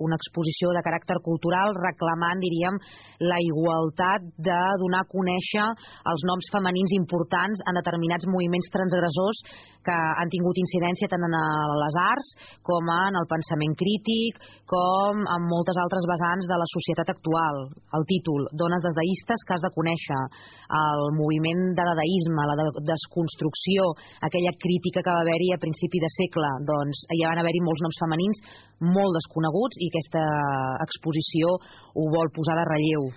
una exposició de caràcter cultural reclamant, diríem, la igualtat de donar a conèixer els noms femenins importants en determinats moviments transgressors que han tingut incidència tant en les arts com en el pensament crític, com en moltes altres vessants de la societat actual. El títol, Dones dadaistes que has de conèixer, el moviment de dadaisme, la desconstrucció, aquella crítica que va haver-hi a principi de segle, doncs hi van haver-hi molts noms femenins molt desconeguts i aquesta exposició ho vol posar de relleu.